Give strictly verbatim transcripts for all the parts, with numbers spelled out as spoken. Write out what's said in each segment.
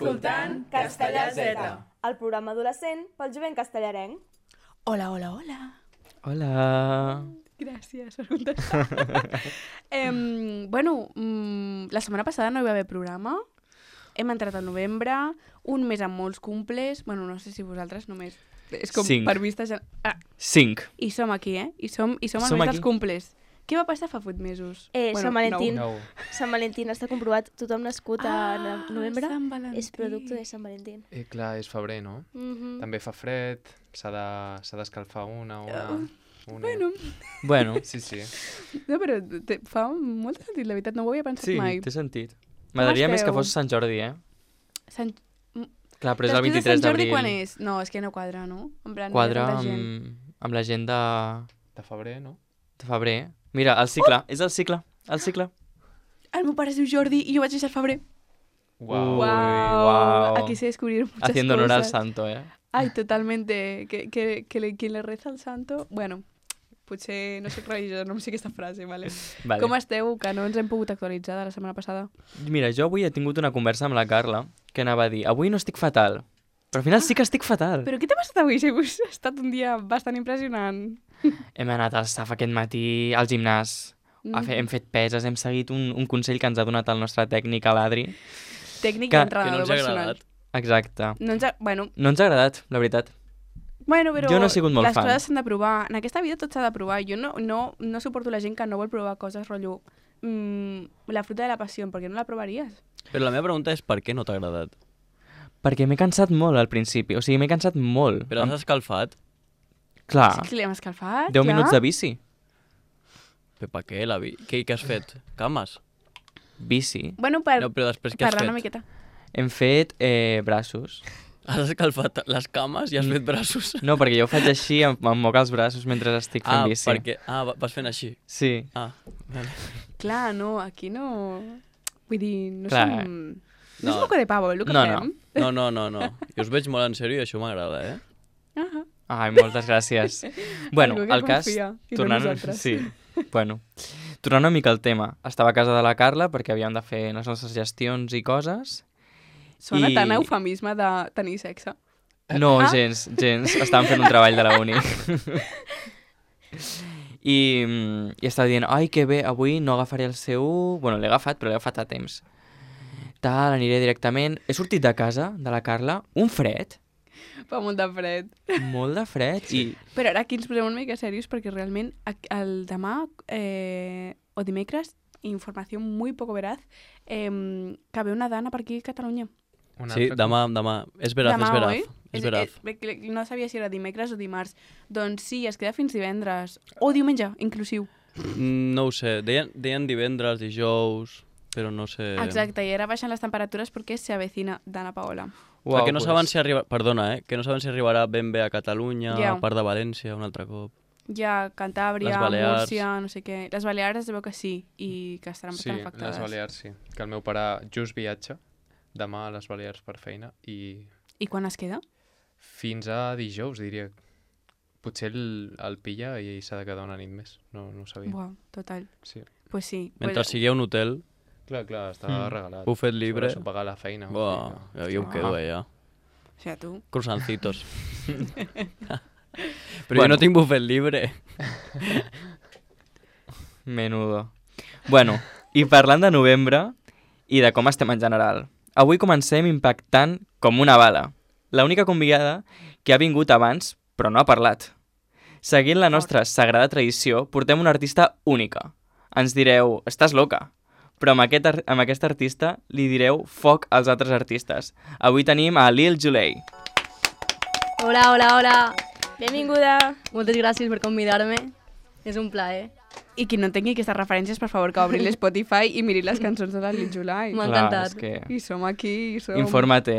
escoltant Castellà Z, el programa adolescent pel jovent castellarenc. Hola, hola, hola. Hola. Gràcies per contestar. eh, bueno, mm, la setmana passada no hi va haver programa. Hem entrat al novembre, un mes amb molts cumples. Bueno, no sé si vosaltres només... És com Cinc. per vista... Ja... Ah, Cinc. I som aquí, eh? I som, i som al Som mes aquí. dels cumples. Què va passar fa vuit mesos? Eh, Bueno, Sant Valentín. Nou. Sant Valentín està comprovat. Tothom nascut a Ah, novembre Sant Valentí. és producte de Sant Valentín. Eh, clar, és febrer, no? Mhm. També fa fred, s'ha de- s'ha d'escalfar una, una... una. Bueno, Bueno, Sí, sí. no, però te, fa molt sentit, la veritat, no ho havia pensat sí, mai. té sentit. M'agradaria més que esteu? fos Sant Jordi, eh? Sant... Clar, però és el Després de vint-i-tres Sant Jordi d'abril. quan és? No, és que no quadra, no? En plan, Quadra hi ha tanta gent. amb, amb la gent de, De febrer, no? de febrer. Mira, el cicle, oh! és el cicle, el cicle. El meu pare es diu Jordi i jo vaig néixer al febrer. Uau. Wow. Guau. Aquí sé descubrir muchas Haciendo honor al cosas. santo, eh? Ay, totalmente. Que, que, que le, quien le reza al santo... Bueno, potser no soc religiosa, no em sé aquesta frase, vale? Vale. Com esteu? Que no ens hem pogut actualitzar de la setmana passada. Mira, jo avui he tingut una conversa amb la Carla que anava a dir, avui no estic fatal, però al final sí que estic fatal. Però què t'ha passat avui? Si ha estat un dia bastant impressionant. Hem anat al S A F aquest matí al gimnàs, Mm. a fer, hem fet peses, hem seguit un, un consell que ens ha donat el nostre tècnic, l'Adri. Tècnic Que- i que entrenador no ens ha personal. agradat. Exacte. No ens ha... Bueno, No ens ha agradat, la veritat. bueno, però Jo no he sigut molt les fan. coses s'han de provar. En aquesta vida tot s'ha de provar. Jo no, no, no suporto la gent que no vol provar coses, rotllo... Mm, la fruta de la passió, per què no la provaries? Però la meva pregunta és per què no t'ha agradat? Perquè m'he cansat molt al principi, o sigui, m'he cansat molt. Però Em- has escalfat? Clar, Sí que li hem escalfat, deu ja. minuts de bici. Però per què? La vi... què, què has fet? Cames? Bici. Bueno, per No, però després què has parlar fet? una miqueta. Hem fet eh, braços. Has escalfat les cames i has fet braços? No, perquè jo ho faig així, em, em moc els braços mentre estic fent ah, bici. perquè... Ah, va- vas fent així. Sí. Ah, vale. Clar, no, aquí no... Vull dir, no Clar. som... No, No. és moco de pavo, el que No, no. fem. No, no, no, no. Jo us veig molt en sèrio i això m'agrada, eh? Ahà. Ai, moltes gràcies. Bueno, Algú que el cas... confia, i no tornant... nosaltres. Sí, bueno. Tornant una mica al tema. Estava a casa de la Carla perquè havíem de fer les nostres gestions i coses. Sona I- tan eufemisme de tenir sexe. No, Ah. gens, gens. Estàvem fent un treball de la uni. I, mm, I estava dient, ai, que bé, avui no agafaré el C U... Bueno, l'he agafat, però l'he agafat a temps. Tal, aniré directament. He sortit de casa, de la Carla, un fred, Fa molt de fred. molt de fred, i Però ara aquí ens posem una mica serios perquè realment a- el demà eh, o dimecres, informació muy poco veraz, eh, que ve una dana per aquí a Catalunya. Un Sí, altre demà, demà. És veraz, demà, és veraz. oi? És veraz. eh, eh, no sabia si era dimecres o dimarts. Doncs sí, es queda fins divendres. O diumenge, inclusiu. Mm, No ho sé. Deien, deien divendres, dijous, però no sé... Exacte, i ara baixen les temperatures perquè se avecina Dana Paola. Uau, que no pues, saben si arriba... Perdona, eh? Que no saben si arribarà ben bé a Catalunya, Ja. a part de València, un altre cop. Ja Cantàbria, Les Balears. Múrcia, no sé què. Les Balears es veu que sí, i que estaran Sí, bastant afectades. les Balears sí. Que el meu pare just viatja demà a les Balears per feina i I quan es queda? fins a dijous, diria. Potser el, el pilla i s'ha de quedar una nit més. No, no ho sabia. Buah, total. Sí. Pues sí. Mentre pues, sigui a un hotel, Clar, clar, està Mm. regalat. bufet libre... Sobre això pagar la feina. o Buah, sigui jo, jo em Ah. quedo allà. O sea, tu. Croissancitos. Però Bueno. jo no tinc bufet libre. menudo. Bueno, i parlant de novembre i de com estem en general, avui comencem impactant com una bala. L'única convidada que ha vingut abans, però no ha parlat. Seguint la nostra sagrada tradició, portem una artista única. Ens direu, estàs loca. Però amb aquest, ar- amb aquest artista li direu foc als altres artistes. Avui tenim a Lil Julei. Hola, hola, hola. Benvinguda. Moltes gràcies per convidar-me. És un plaer. I qui no tingui aquestes referències, per favor, que obri l'Spotify i miri les cançons de la Lil Julai. M'ha Clar, encantat. és que... I som aquí, i som... Informa't.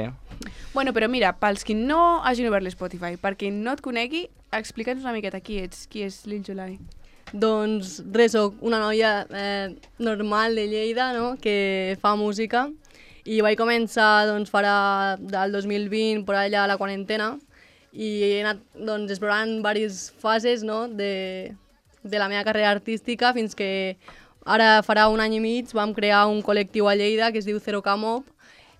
Bueno, però mira, pels qui no hagin obert l'Spotify, per qui no et conegui, explica'ns una miqueta qui ets, qui és Lil Julai. Doncs res, soc una noia eh, normal de Lleida, no?, que fa música. I vaig començar doncs, farà del dos mil vint, per allà a la quarantena, i he anat doncs, explorant diverses fases, no?, de, de la meva carrera artística, fins que ara farà un any i mig vam crear un col·lectiu a Lleida que es diu Zero K Mob,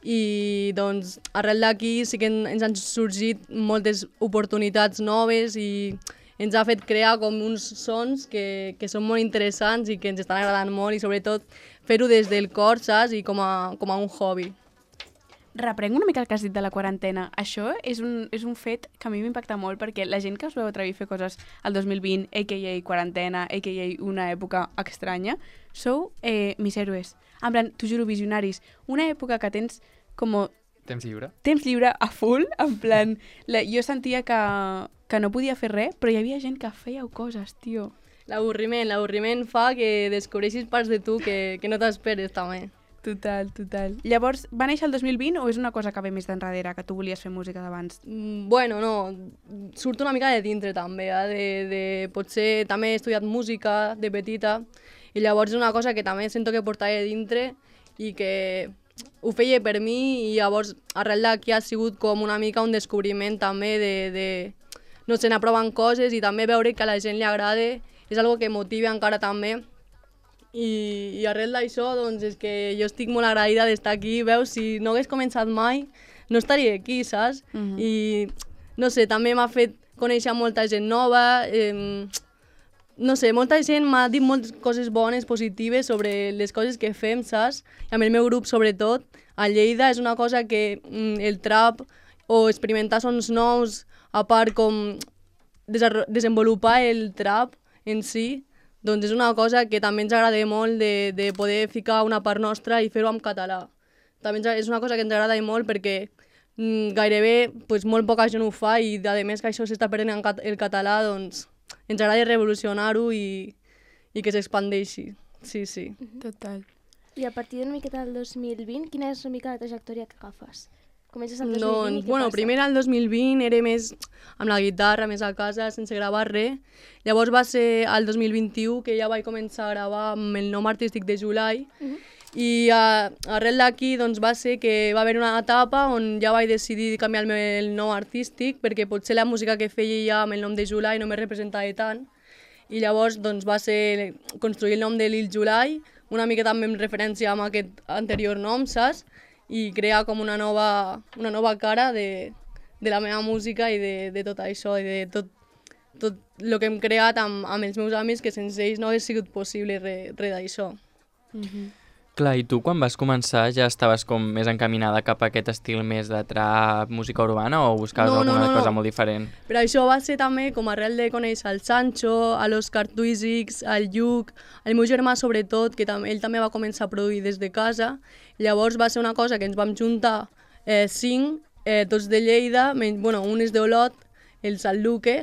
i doncs arrel d'aquí sí que en- ens han sorgit moltes oportunitats noves i ens ha fet crear com uns sons que, que són molt interessants i que ens estan agradant molt i sobretot fer-ho des del cor, saps? I com a, com a un hobby. Reprenc una mica el que has dit de la quarantena. Això és un, és un fet que a mi m'impacta molt perquè la gent que es veu atrevir a fer coses el dos mil vint, a k a quarantena, a k a una època estranya, sou eh, mis héroes. En plan, t'ho juro, visionaris. Una època que tens com Temps lliure? temps lliure a full, en plan... La, jo sentia que, que no podia fer res, però hi havia gent que fèieu coses, tio. L'avorriment, l'avorriment fa que descobreixis parts de tu que, que no t'esperes també. Total, total. Llavors, va néixer el dos mil vint o és una cosa que ve més d'enrere, que tu volies fer música d'abans? Mm, Bueno, no, surt una mica de dintre també, eh? de, de, potser també he estudiat música de petita i llavors és una cosa que també sento que portava de dintre i que ho feia per mi i llavors arrel d'aquí ha sigut com una mica un descobriment també de, de no sé, anar provant coses i també veure que a la gent li agrada, és algo que motiva encara també. I, i arrel d'això, doncs, és que jo estic molt agraïda d'estar aquí, veus, si no hagués començat mai, no estaria aquí, saps? Mhm. I, no sé, també m'ha fet conèixer molta gent nova, eh, no sé, molta gent m'ha dit moltes coses bones, positives sobre les coses que fem, saps? I amb el meu grup, sobretot, a Lleida és una cosa que mm, el trap o experimentar sons nous, a part com desarro- desenvolupar el trap en si, doncs és una cosa que també ens agrada molt de, de poder ficar una part nostra i fer-ho en català. També ens, és una cosa que ens agrada molt perquè mm, gairebé pues, molt poca gent ho fa i a més que això s'està perdent en cat el català, doncs ens agrada revolucionar-ho i, i que s'expandeixi. Sí, sí. Total. I a partir d'una miqueta del dos mil vint, quina és una mica la trajectòria que agafes? Comences el dos mil vint Doncs, i què bueno, passa? primer el dos mil vint era més amb la guitarra, més a casa, sense gravar res. Llavors va ser el dos mil vint-i-u que ja vaig començar a gravar amb el nom artístic de Julai. Mhm. I uh, arrel d'aquí doncs, va ser que va haver una etapa on ja vaig decidir canviar el meu nom artístic perquè potser la música que feia ja amb el nom de Julai no me representava tant. I llavors doncs, va ser construir el nom de Lil Julai, una mica també en referència amb aquest anterior nom, saps? I crear com una nova, una nova cara de, de la meva música i de, de tot això, i de tot, tot el que hem creat amb, amb els meus amics, que sense ells no hagués sigut possible res re d'això. Clar, i tu quan vas començar ja estaves com més encaminada cap a aquest estil més de trap, música urbana, o buscaves No, no, alguna no, no. cosa molt diferent? Però això va ser també com arrel de conèixer el Sancho, a l'Òscar Twizzix, al Lluc, el meu germà sobretot, que tam ell també va començar a produir des de casa. Llavors va ser una cosa que ens vam juntar eh, cinc, eh, tots de Lleida, men bueno, un és d'Olot, el Sant Luque.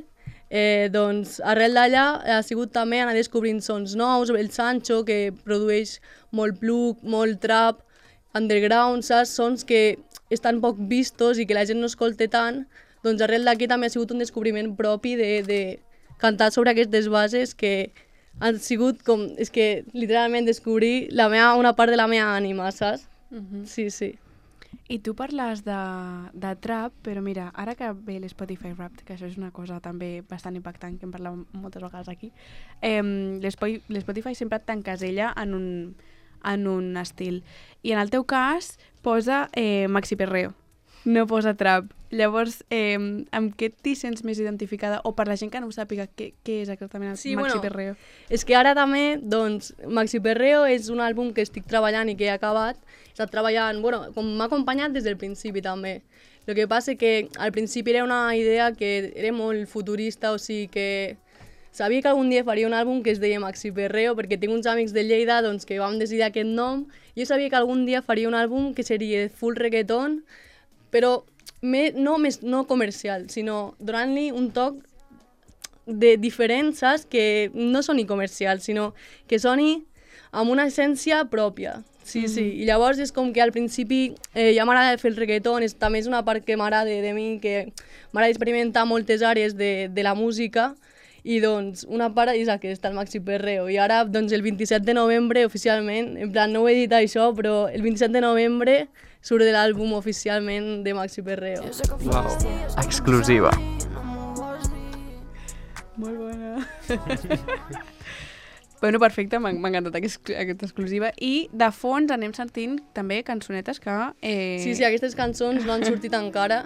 Eh, doncs arrel d'allà ha sigut també anar descobrint sons nous, el Sancho que produeix molt plug, molt trap, underground, saps? Sons que estan poc vistos i que la gent no escolta tant, doncs arrel d'aquí també ha sigut un descobriment propi de, de cantar sobre aquestes bases que han sigut com, és que literalment descobrir la meva, una part de la meva ànima, saps? Sí, sí. I tu parles de, de trap, però mira, ara que ve l'Spotify Wrapped, que això és una cosa també bastant impactant, que en parlem moltes vegades aquí, eh, l'Spotify sempre t'encasella en un, en un estil. I en el teu cas posa eh, Maxi Perreo, no posa trap. Llavors, eh, amb què t'hi sents més identificada? O per la gent que no ho sàpiga, què, què és exactament el Sí, Maxi bueno, Perreo? És que ara també, doncs, Maxi Perreo és un àlbum que estic treballant i que he acabat. He estat treballant, bueno, com m'ha acompanyat des del principi també. El que passa que al principi era una idea que era molt futurista, o sigui que sabia que algun dia faria un àlbum que es deia Maxi Perreo, perquè tinc uns amics de Lleida doncs, que vam decidir aquest nom. Jo sabia que algun dia faria un àlbum que seria full reggaeton, però me, no, més, no comercial, sinó donant-li un toc de diferent, saps? Que no soni comercial, sinó que soni amb una essència pròpia. Sí, sí. I llavors és com que al principi eh, ja m'agrada fer el reggaeton, és, també és una part que m'agrada de, de mi, que m'agrada experimentar moltes àrees de, de la música, i doncs una part és aquesta, el Maxi Perreo. I ara, doncs el vint-i-set de novembre, oficialment, en plan, no ho he dit això, però el vint-i-set de novembre surt de l'àlbum oficialment de Maxi Perreo. Uau, exclusiva. Molt bona. Bueno, perfecte, m'ha m'ha encantat aquest, aquesta exclusiva. I de fons anem sentint també cançonetes que... Eh... Sí, sí, aquestes cançons no han sortit encara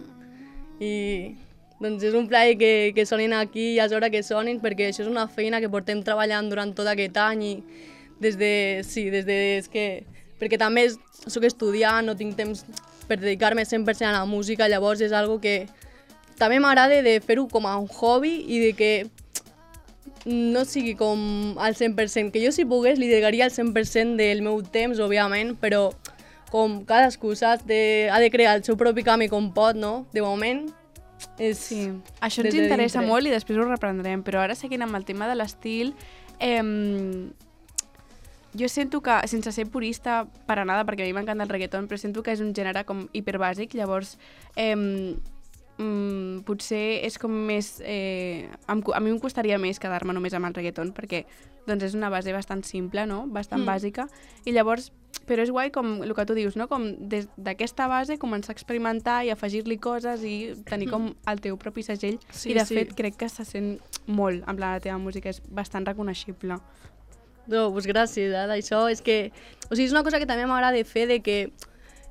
i doncs és un plaer que, que sonin aquí i és hora que sonin perquè això és una feina que portem treballant durant tot aquest any i des de... Sí, des de... És que, perquè també soc estudiant, no tinc temps per dedicar-me cent per cent a la música, llavors és algo que també m'agrada de fer-ho com a un hobby i de que no sigui com al cent per cent, que jo si pogués li dedicaria el cent per cent del meu temps, òbviament, però com cadascú, saps, de, ha de crear el seu propi camí com pot, no? De moment, és... Sí, això ens des de interessa dintre. molt i després ho reprendrem, però ara seguint amb el tema de l'estil, eh, jo sento que, sense ser purista per a nada, perquè a mi m'encanta el reggaeton, però sento que és un gènere com hiperbàsic, llavors... Eh, Mm, potser és com més... Eh, em, a mi em costaria més quedar-me només amb el reggaeton perquè doncs, és una base bastant simple, no? Bastant Mm. bàsica. I llavors, però és guai com el que tu dius, no? Com des d'aquesta base començar a experimentar i afegir-li coses i tenir com el teu propi segell. Sí, I de sí. fet crec que se sent molt, en plan la teva música és bastant reconeixible. No, doncs gràcies, eh? Això és que... O sigui, és una cosa que també m'agrada fer de que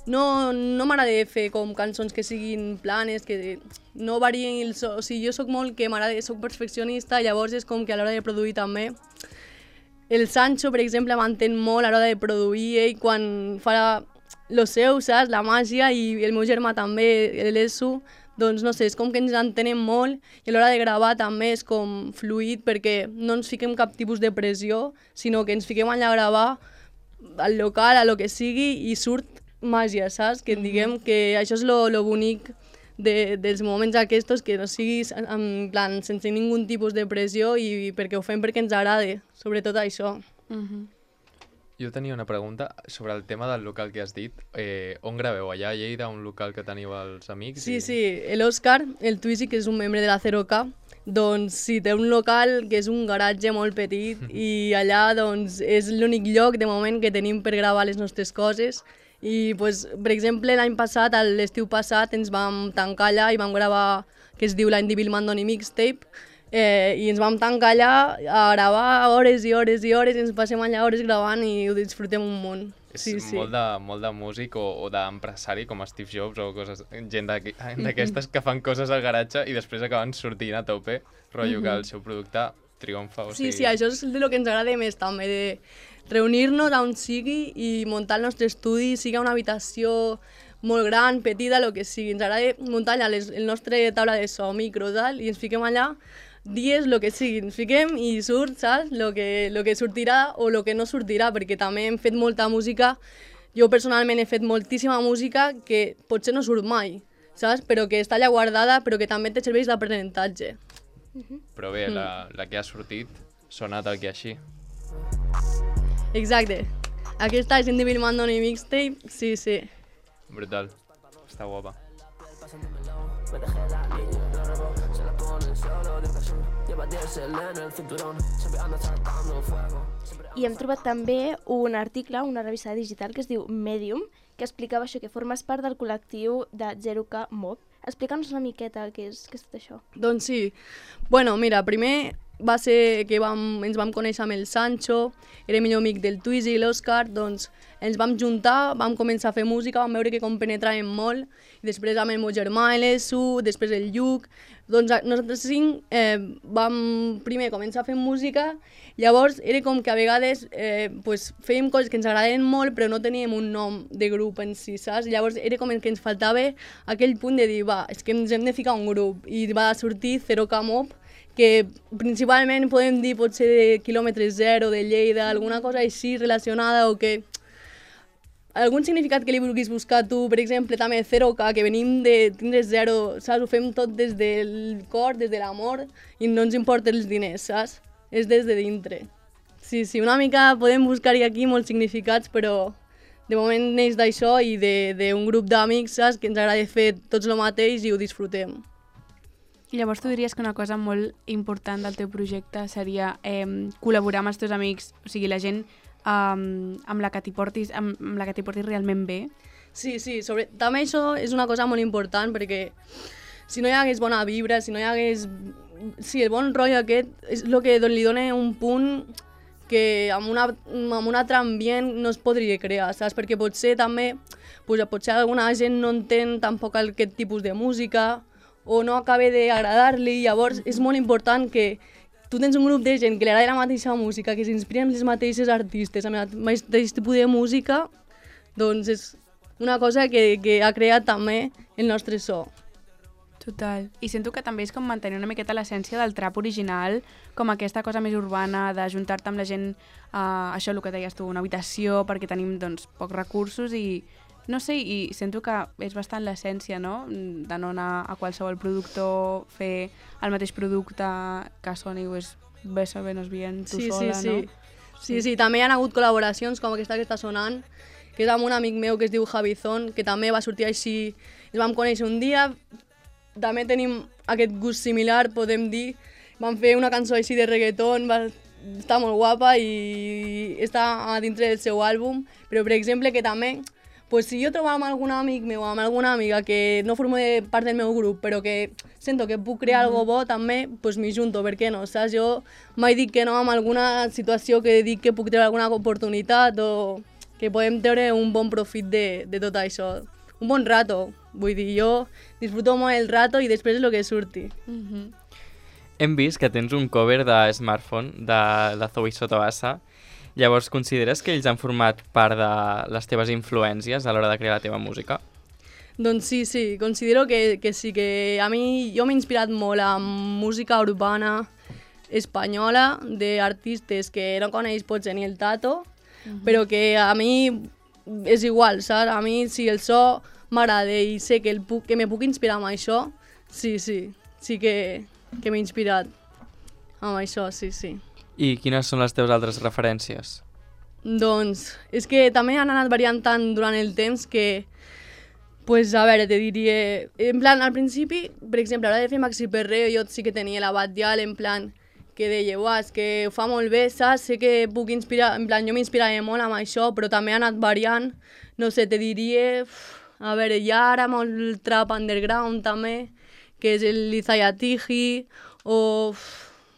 no, no m'agrada fer com cançons que siguin planes, que no varien el so. O sigui, jo sóc molt que m'agrada, sóc perfeccionista, llavors és com que a l'hora de produir també. El Sancho, per exemple, m'entén molt a l'hora de produir, ell quan fa lo seu, saps? La màgia, i el meu germà també, l'Esu, doncs no sé, és com que ens entenem molt i a l'hora de gravar també és com fluid perquè no ens fiquem cap tipus de pressió, sinó que ens fiquem allà a gravar al local, a lo que sigui, i surt màgia, saps? Que diguem que això és lo, lo bonic de, dels moments aquests, que no siguis en plan sense ningú tipus de pressió i perquè ho fem perquè ens agrada, sobretot això. Uh-huh. Jo tenia una pregunta sobre el tema del local que has dit. Eh, on graveu? Allà a Lleida, un local que teniu els amics? Sí, i... sí, l'Òscar, el Twizy, que és un membre de la zero K, doncs sí, té un local que és un garatge molt petit i allà doncs, és l'únic lloc de moment que tenim per gravar les nostres coses. I, pues, per exemple, l'any passat, a l'estiu passat, ens vam tancar allà i vam gravar, que es diu l'any de Bill Mandoni Mixtape, eh, i ens vam tancar allà a gravar hores i hores i hores, i ens passem allà hores gravant i ho disfrutem un munt. És Sí, sí. molt, de, molt de músic o, o d'empresari com Steve Jobs o coses, gent d'aquí- d'aquestes que fan coses al garatge i després acaben sortint a tope, rotllo que el seu producte triomfa. O Sí, sigui... sí, això és el que ens agrada més també, de reunir-nos on sigui i muntar el nostre estudi, sigui una habitació molt gran, petita, el que sigui. Ens agrada muntar allà les, el nostre taula de so, micro, tal, i ens fiquem allà dies, el que sigui, ens fiquem i surt, saps? Lo que, lo que sortirà o el que no sortirà, perquè també hem fet molta música, jo personalment he fet moltíssima música que potser no surt mai, saps? Però que està allà guardada, però que també te serveix d'aprenentatge. Però bé, la, la que ha sortit sona tal que així. Exacte. Aquesta és Indie Bill Mandoni Mixtape, sí, sí. Brutal. Està guapa. I hem trobat també un article, una revista digital que es diu Medium, que explicava això, que formes part del col·lectiu de zero K Mob. Explica'ns una miqueta què és, què és tot això. Doncs sí. Bueno, mira, primer va ser que vam, ens vam conèixer amb el Sancho, era millor amic del Twizy i l'Òscar, doncs ens vam juntar, vam començar a fer música, vam veure que compenetràvem molt, i després amb el meu germà, l'Esu, després el Lluc, doncs nosaltres cinc eh, vam primer començar a fer música, llavors era com que a vegades eh, pues, fèiem coses que ens agradaven molt però no teníem un nom de grup en si, saps? Llavors era com que ens faltava aquell punt de dir, va, és que ens hem de ficar un grup, i va sortir zero K Mob, que principalment podem dir potser de quilòmetre zero, de Lleida, alguna cosa així relacionada o que algun significat que li vulguis buscar tu, per exemple, també zero K, que venim de tindre zero, saps? Ho fem tot des del cor, des de l'amor, i no ens importen els diners, saps? És des de dintre. Sí, sí, una mica podem buscar-hi aquí molts significats, però de moment neix d'això i d'un grup d'amics, saps? Que ens agrada fer tots el mateix i ho disfrutem. I llavors tu diries que una cosa molt important del teu projecte seria eh, col·laborar amb els teus amics, o sigui, la gent um, amb la que t'hi portis, amb, amb la que t'hi portis realment bé? Sí, sí, sobre... també això és una cosa molt important perquè si no hi hagués bona vibra, si no hi hagués... Sí, el bon rotllo aquest és el que li dona un punt que amb, una, amb un altre ambient no es podria crear, saps? Perquè potser també, pues, potser alguna gent no entén tampoc aquest tipus de música o no acaba d'agradar-li, llavors és molt important que tu tens un grup de gent que li agrada la mateixa música, que s'inspiren les mateixes artistes, amb el mateix tipus de música, doncs és una cosa que, que ha creat també el nostre so. Total. I sento que també és com mantenir una miqueta l'essència del trap original, com aquesta cosa més urbana d'ajuntar-te amb la gent, uh, això el que deies tu, una habitació, perquè tenim doncs, pocs recursos i no sé, i sento que és bastant l'essència, no?, de no anar a qualsevol productor, fer el mateix producte que soni, pues, ves a venos bien, tu sí, sola, sí, sí. no? Sí, sí, també hi ha hagut col·laboracions com aquesta que està sonant, que és amb un amic meu que es diu Javizón, que també va sortir així, ens vam conèixer un dia, també tenim aquest gust similar, podem dir, vam fer una cançó així de reggaeton, va estar molt guapa i està a dintre del seu àlbum, però per exemple que també, pues, si jo trobo amb algun amic meu, amb alguna amiga que no forma part del meu grup, però que sento que puc crear mm-hmm. algo bo, també pues, m'hi junto, per què no? Saps? Jo mai dic que no amb alguna situació que dic que puc treure alguna oportunitat o que podem treure un bon profit de, de tot això. Un bon rato, vull dir, jo disfruto molt el rato i després és el que surti. Mm-hmm. Hem vist que tens un cover de Smartphone de la Zoe Sotobasa. Llavors, consideres que ells han format part de les teves influències a l'hora de crear la teva música? Doncs sí, sí, considero que, que sí, que a mi jo m'he inspirat molt amb música urbana espanyola d'artistes que no coneix potser ni el Tato, uh-huh. però que a mi és igual, saps? A mi si el so m'agrada i sé que, el puc, que me puc inspirar amb això, sí, sí, sí que, que m'he inspirat amb això, sí, sí. I quines són les teves altres referències? Doncs és que també han anat variant tant durant el temps que, pues, a veure, te diria... En plan, al principi, per exemple, a l'hora de fer Maxi Perreo, jo sí que tenia la Batllal, en plan, que deia, uah, és que ho fa molt bé, saps? Sé que puc inspirar... En plan, jo m'inspirava molt amb això, però també ha anat variant. No sé, te diria... A veure, hi ha ara molt trap underground, també, que és el Izaya Tiji, o...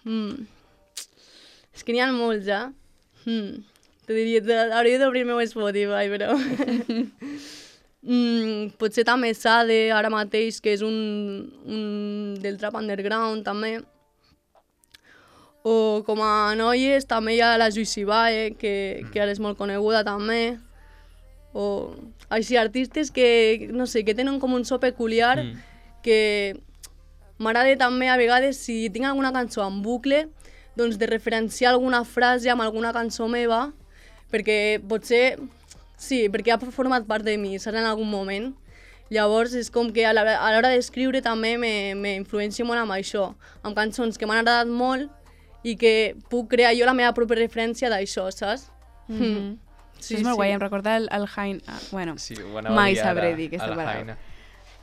Mm, és que n'hi ha molts, ja. Hmm. Te diria, hauria d'obrir el meu Spotify, però... mm, potser també Sade, ara mateix, que és un, un del trap underground, també. O com a noies, també hi ha la Juicy Bae, que, que ara és molt coneguda, també. O així, artistes que, no sé, que tenen com un so peculiar, mm. que m'agrada també, a vegades, si tinc alguna cançó en bucle, doncs de referenciar alguna frase amb alguna cançó meva, perquè potser, sí, perquè ha format part de mi, saps, en algun moment. Llavors és com que a l'hora d'escriure també m'influencio molt amb això, amb cançons que m'han agradat molt i que puc crear jo la meva pròpia referència d'això, saps? Mm-hmm. Sí, és molt sí. guai, em recorda el, el Jain... Ah, bueno, sí, mai sabré dir aquesta paraula.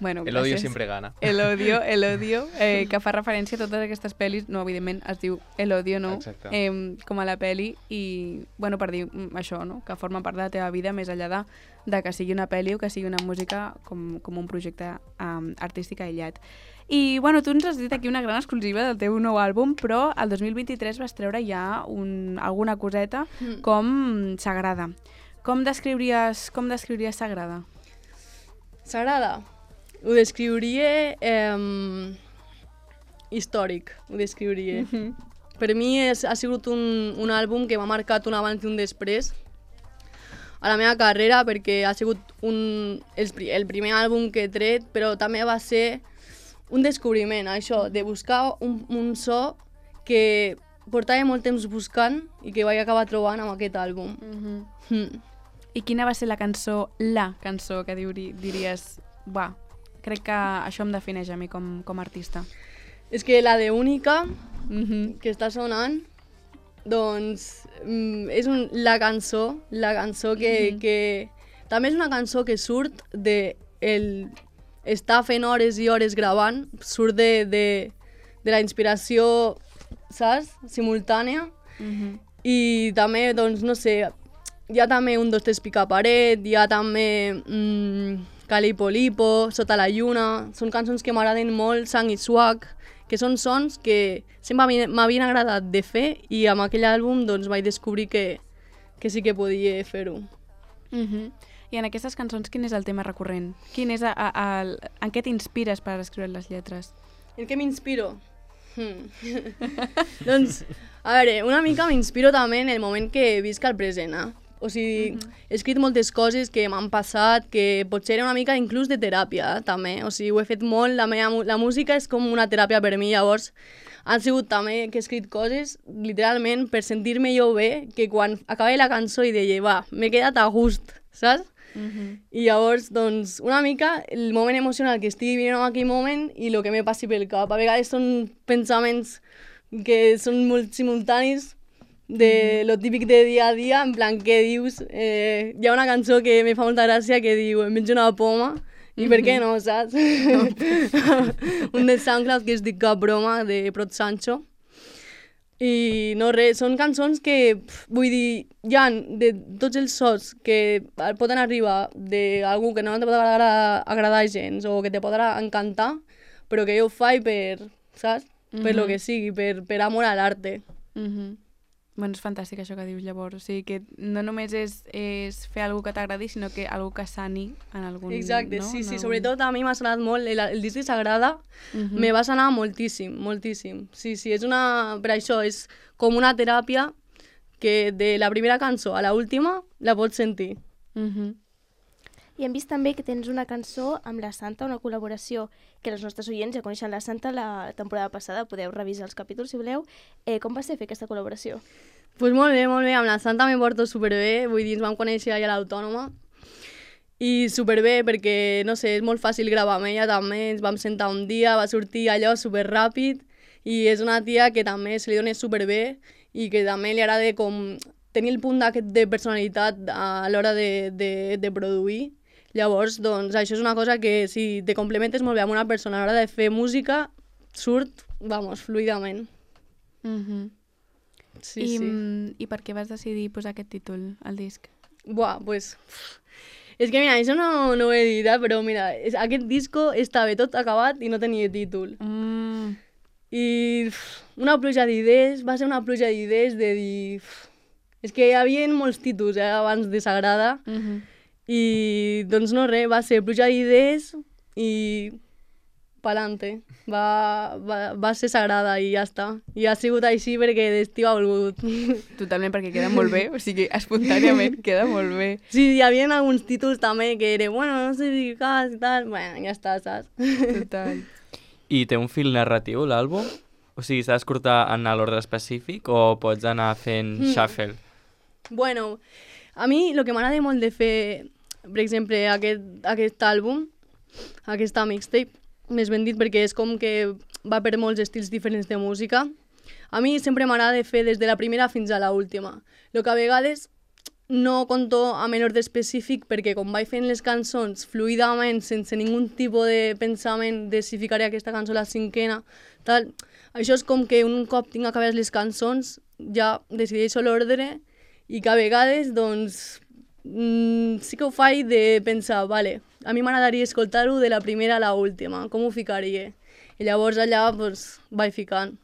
Bueno, el odio siempre gana. El odio, el odio, eh, que fa referència a totes aquestes pel·lis, no, evidentment es diu El odio, no? Eh, com a la pel·li, i, bueno, per dir això, no? Que forma part de la teva vida, més enllà de, de que sigui una pel·li o que sigui una música com, com un projecte um, artístic aïllat. I, bueno, tu ens has dit aquí una gran exclusiva del teu nou àlbum, però el dos mil vint-i-tres vas treure ja un, alguna coseta mm. com Sagrada. Com descriuries, com descriuries Sagrada? Sagrada? Ho descriuria eh, històric, ho descriuria. Mm-hmm. Per mi és, ha sigut un, un àlbum que m'ha marcat un abans i un després a la meva carrera, perquè ha sigut un, el, el primer àlbum que he tret, però també va ser un descobriment, això, de buscar un, un so que portava molt temps buscant i que vaig acabar trobant amb aquest àlbum. Mm-hmm. Mm. I quina va ser la cançó, la cançó que diuri, diries, va, crec que això em defineix a mi com, com a artista? És que la de Única, mm-hmm. que està sonant, doncs mm, és un, la cançó, la cançó que, mm-hmm. que també és una cançó que surt de el estar fent hores i hores gravant, surt de, de, de la inspiració, saps? Simultània. Mm-hmm. I també, doncs, no sé, hi ha també un, dos, tres, pica paret, hi ha també... Mm, Calipo Lipo, Sota la lluna, són cançons que m'agraden molt, Sang i Swag, que són sons que sempre m'havien- m'havien agradat de fer i amb aquell àlbum doncs, vaig descobrir que, que sí que podia fer-ho. Mhm. I en aquestes cançons, quin és el tema recurrent? Quin és a, a, el, en què t'inspires per escriure les lletres? En què m'inspiro? Hmm. Doncs, a veure, una mica m'inspiro també en el moment que visc al present, eh? O sigui, Mhm. he escrit moltes coses que m'han passat, que potser era una mica inclús de teràpia, eh, també. O sigui, ho he fet molt, la, meva, mu- la música és com una teràpia per mi, llavors han sigut també que he escrit coses, literalment, per sentir-me jo bé, que quan acabava la cançó i deia, va, m'he quedat a gust, saps? Mhm. I llavors, doncs, una mica el moment emocional que estigui vivint en aquell moment i el que me passi pel cap. A vegades són pensaments que són molt simultanis de lo típic de dia a dia, en plan, què dius? Eh, hi ha una cançó que me fa molta gràcia que diu, em menjo una poma, i per què no, saps? Un de SoundCloud que es diu Cap Broma, de Prot Sancho. I no res, són cançons que, pf, vull dir, hi ha de tots els sons que poden arribar d'algú que no te pot agradar, agradar gens o que te pot encantar, però que jo ho faig per, saps? Per lo Mhm. que sigui, per, per amor a l'arte. Mhm. Bueno, és fantàstic això que dius llavors. O sigui, que no només és, és fer alguna que t'agradi, sinó que algú que sani en algun... Exacte, no? sí, En sí, algun- sobretot a mi m'ha sonat molt, el, el disc de Sagrada Mhm. me va sonar moltíssim, moltíssim. Sí, sí, és una... Per això, és com una teràpia que de la primera cançó a la última la pots sentir. Mhm. I hem vist també que tens una cançó amb la Santa, una col·laboració que els nostres oients ja coneixen la Santa la temporada passada, podeu revisar els capítols si voleu. Eh, com va ser fer aquesta col·laboració? Doncs pues molt bé, molt bé, amb la Santa me porto superbé, vull dir, ens vam conèixer allà a l'Autònoma i superbé perquè, no sé, és molt fàcil gravar amb ella també, ens vam sentar un dia, va sortir allò superràpid i és una tia que també se li dona superbé i que també li agrada com tenir el punt aquest de personalitat a l'hora de, de, de produir. Llavors, doncs, això és una cosa que si te complementes molt bé amb una persona a l'hora de fer música, surt, vamos, fluidament. Mhm. Sí, I, sí. mm, I per què vas decidir posar aquest títol al disc? Buah, pues... És que mira, això no, no ho he dit, eh, però mira, és, aquest disco estava tot acabat i no tenia títol. Mm. I uf, una pluja d'idees, va ser una pluja d'idees de dir... uf, és que hi havia molts títols eh, abans de Sagrada Mhm. i doncs no res, va ser pluja d'idees i pa'lante. Va, va, va ser Sagrada i ja està. I ha sigut així perquè d'estiu ha volgut. Totalment, perquè queda molt bé, o sigui, espontàniament queda molt bé. Sí, hi havia alguns títols també que era, bueno, no sé si cas i tal, bueno, ja està, saps? Total. I té un fil narratiu, l'àlbum? O sigui, s'ha d'escoltar en l'ordre específic o pots anar fent Mm. shuffle? Bueno, a mi el que m'agrada molt de fer, per exemple, aquest, aquest àlbum, aquesta mixtape, més ben dit perquè és com que va per molts estils diferents de música, a mi sempre m'agrada fer des de la primera fins a la última. El que a vegades no conto a menor d'específic perquè com vaig fent les cançons fluidament, sense ningun tipus de pensament de si ficaré aquesta cançó a la cinquena, tal, això és com que un cop tinc acabades les cançons ja decideixo l'ordre i que a vegades, doncs, mm, sí que ho faig de pensar, vale, a mi m'agradaria escoltar-ho de la primera a la última, com ho ficaria? I llavors allà, doncs, vaig ficant.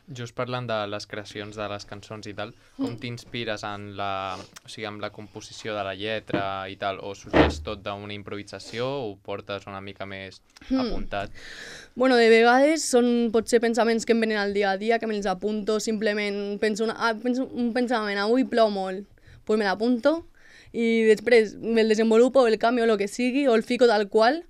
Just parlant de les creacions de les cançons i tal, com t'inspires en la, o sigui, amb la composició de la lletra i tal, o sorgeix tot d'una improvisació o ho portes una mica més apuntat? Bueno, de vegades són potser pensaments que em venen al dia a dia, que me'ls apunto, simplement penso, una, ah, penso un pensament, avui plou molt, doncs pues me l'apunto i després me'l desenvolupo, el canvio, o el que sigui, o el fico tal qual,